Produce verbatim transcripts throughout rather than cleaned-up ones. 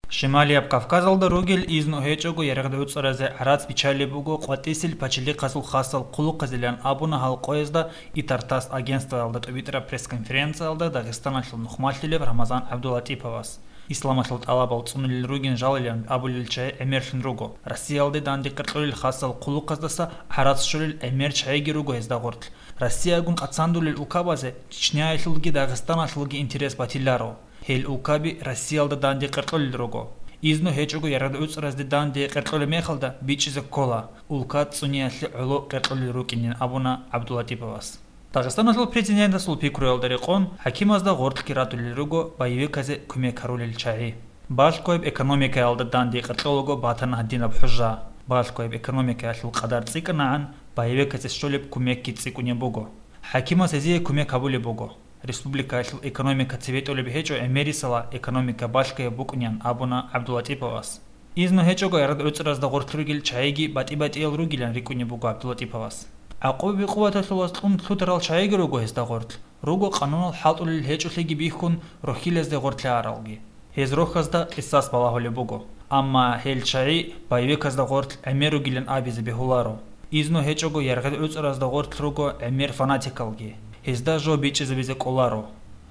Шималияб Кавказалда ругел изну гьечӀого яргъи гӀуцӀаразе гӀарац биччалеб буго къватӀисел пачалихъазул хасал хъулухъазилан абуна гьал къоязда ИТАР-ТАСС агентствоялда тӀубитӀараб пресс-конференциялда Дагъистаналъул нухмалъулеб Рамазан ГӀабдулатӀиповас. Исламалъул тӀалабал цӀунулел ругин жалилан абулел чагӀи гӀемерлъун руго. Россиялде данде къеркьулел хасал хъулухъаздаса гӀарац щолел гӀемер чагӀиги руго гьезда гъорлъ. Россиягун къацандулел улкабазе Чечняялъулги Дагъистаналъулги интерес батиларо. Гьел улкаби Россиялда данде къеркьулел руго. Изну гьечӀого яргъи гӀуцӀаразде данде къеркьулеб мехалда бичӀчӀизе ккола, улка цӀуниялъе гӀоло къеркьулел рукӀинин абуна ГӀабдулатӀиповас. Дагъистаналъул президентасул пикруялда рекъон, хӀакимазда гъоркьги радулел руго боевиказе кумек гьарулел чагӀи. Балъгояб экономикаялда данде къеркьолаго батана гьадинаб хӀужа. Балъгояб экономикаялъул къадар цӀикӀкӀанагӀан, боевиказе щолеб кумекги цӀикӀкӀунеб буго. ХӀакимаз гьезие кумек гьабулеб буго. Республикаялъул экономика цебетӀолеб гьечӀо гӀемерисела экономика балъгояб букӀунин абуна ГӀабдулатӀиповас. Изну гьечӀого яргъи гӀуцӀаразда гъорлъ ругел чагӀиги батӀи-батӀиял ругилан рикӀкӀунеб буго ГӀабдулатӀиповас. ГӀакъубаби къуваталъулас кьун лъутарал чагӀиги руго гьезда гъорлъ. Руго къанунал хӀалтӀулел гьечӀолъиги бихьун рохьилазде гъорлъ аралги. Гьез рохьазда къисас балагьулеб буго. Амма гьел чагӀи боевиказда гъорлъ гӀемер ругилан абизе бегьуларо. Изну гьечӀого яргъи гӀуцӀаразда гъорлъ руго гӀемер фанатикалги. Гьезда жо бичӀчӀизабизе кӀоларо.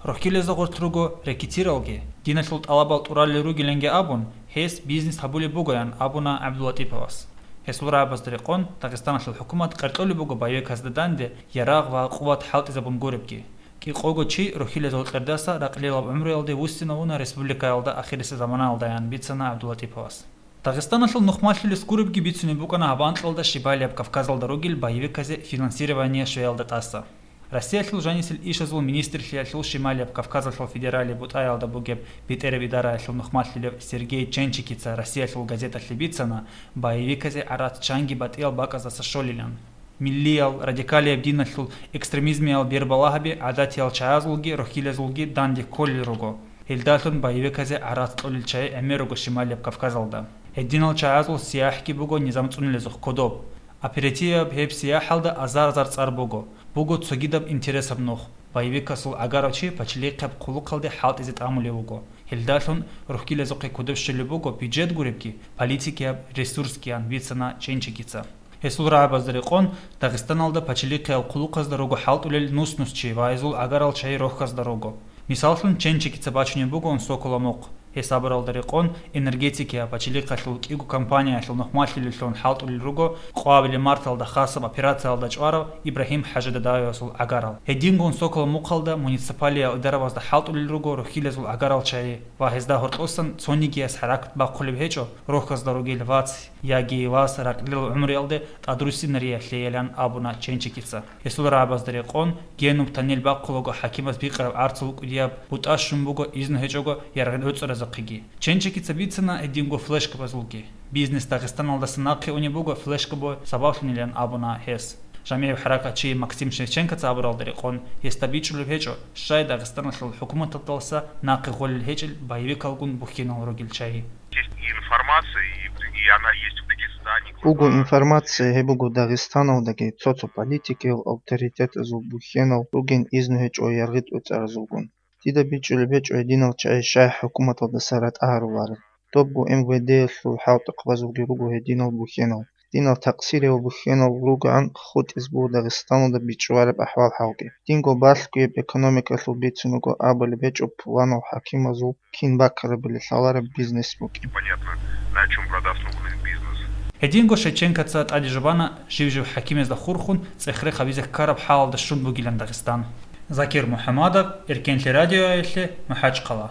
Рохьилазда гъорлъ руго рэкетиралги, диналъул тӀалабал тӀуралел ругиланги абун, гьес бизнес гьабулеб бугоян абуна ГӀабдулатӀиповас. Гьесул рагӀабазда рекъон, Дагъистаналъул хӀукумат къеркьулеб буго боевиказда данде ярагъ ва къуват хӀалтӀизабун гуребги. КӀикъого чи рохьилазул кьердаса ракълилаб гӀумруялде вуссинавуна республикаялда ахирисеб заманаялдаян бицана ГӀабдулатӀиповас. Дагъистаналъул нухмалъулес гуребги бицунеб букӀана гьаб анкьалда Шималияб Кавказалда ругел боевиказе финансирование щвеялда тӀаса. Россиялъул жанисел ишазул министрлъиялъул Шималияб Кавказалъул федералияб бутӀаялда бугеб бетӀераб идараялъул нухмалъулев Сергей Ченчикица Россиялъул газеталъе бицана, боевиказе гӀарац чанги батӀиял бакӀаздаса щолилан. Миллиял, радикалияб диналъул экстремизмиял бербалагьаби гӀадатиял чагӀазулги рохьилазулги данде кколел руго. Гьелдалъун боевиказе гӀарац кьолел чагӀи гӀемер руго Шималияб Кавказалда. Гьединал чагӀазул сияхӀги буго низам цӀунулезухъ кодоб. Оперативаб гьеб сияхӀалда азар-азар цӀар буго. Буго цогидаб интересаб нух. Боевикасул гӀагарав чи пачалихъаб хъулухъалде хӀалтӀизе тӀамулев вуго. Гьелдалъун рохьилазухъе кодоб щолеб буго бюджет гуребги, политикияб ресурсгиян бицана Ченчикица. Гьесул рагӀабазда рекъон, Дагъистаналда пачалихъиял хъулухъазда руго хӀалтӀулел нус-нус чи ва гьезул гӀагарал чагӀи рохьазда руго. Мисаллъун, Ченчикица бачунеб бугоан Сокола мухъ. Гьес абуралда рекъон, энергетикияб пачалихъалъул кӀиго компаниялъул нухмалъулеллъун хӀалтӀулел руго къвабилеб марталда хасаб операциялда чӀварав Ибрагьим ХӀажидадавевасул гӀагарал. Гьедингун Сокола мухъалда муниципалиял идаравазда хӀалтӀулел руго рохьилазул гӀагарал чагӀи ва гьезда гьоркьосан цонигияс хӀаракат бахъулеб гьечӀо, рохьазда ругел вац яги вас ракълил гӀумруялде тӀадруссинариялъейилан абуна Ченчикица. Гьесул рагӀабазда рекъон, генуб тоннель бахъулаго хӀакимас бикъараб гӀарцул кӀудияб бутӀа щун буго изну гьечӀого яргъи гӀуцӀаразухъеги. Ченчикица бицана гьединго флешкабазулги. Бизнес Дагъистаналдаса нахъе унеб буго флешкабо сабаблъунилан абуна гьес. ЖамигӀиб хӀаракатчи Максим Шевченкоца абуралда рекъон, гьесда бичӀчӀулеб гьечӀо, щай Дагъистаналъул хӀукуматалдаса нахъе гъолел гьечӀел боевикалгун бухьинал ругел чагӀи. Есть и информация, и, и она есть в Дагестане. Буго информация, гьеб буго Дагъистаналдаги цо-цо политикиял авторитетазул бухьенал ругин изну гьечӀо яргъи гӀуцӀаразулгун. Дида бичӀчӀулеб гьечӀо гьединал чагӀи щай хӀукуматалдаса ратӀа гьарулареб. Добго М В Д-ялъул хӀалтӀухъабазулги руго гьединал бухьенал. Динал такъсириял бухьенал ругоан хутӀиз буго Дагъистаналда бичӀчӀулареб ахӀвал-хӀалги. Динго балъгояб экономикалъул бицун буго абулеб гьечӀо пуланал хӀакимазул кин бакарабали лъалареб бизнес букӀин. Непонятно, на чём продавцу бизнес. Гьединго Шевченкоца тӀаде жубана жив-жив хӀакимазда хурхун цӀех-рех гьабизе ккараб хӀалалда щун бугилан Дагъистан. Закир МухӀамадов, Эркенлъи радиоялъе, МахӀачхъала.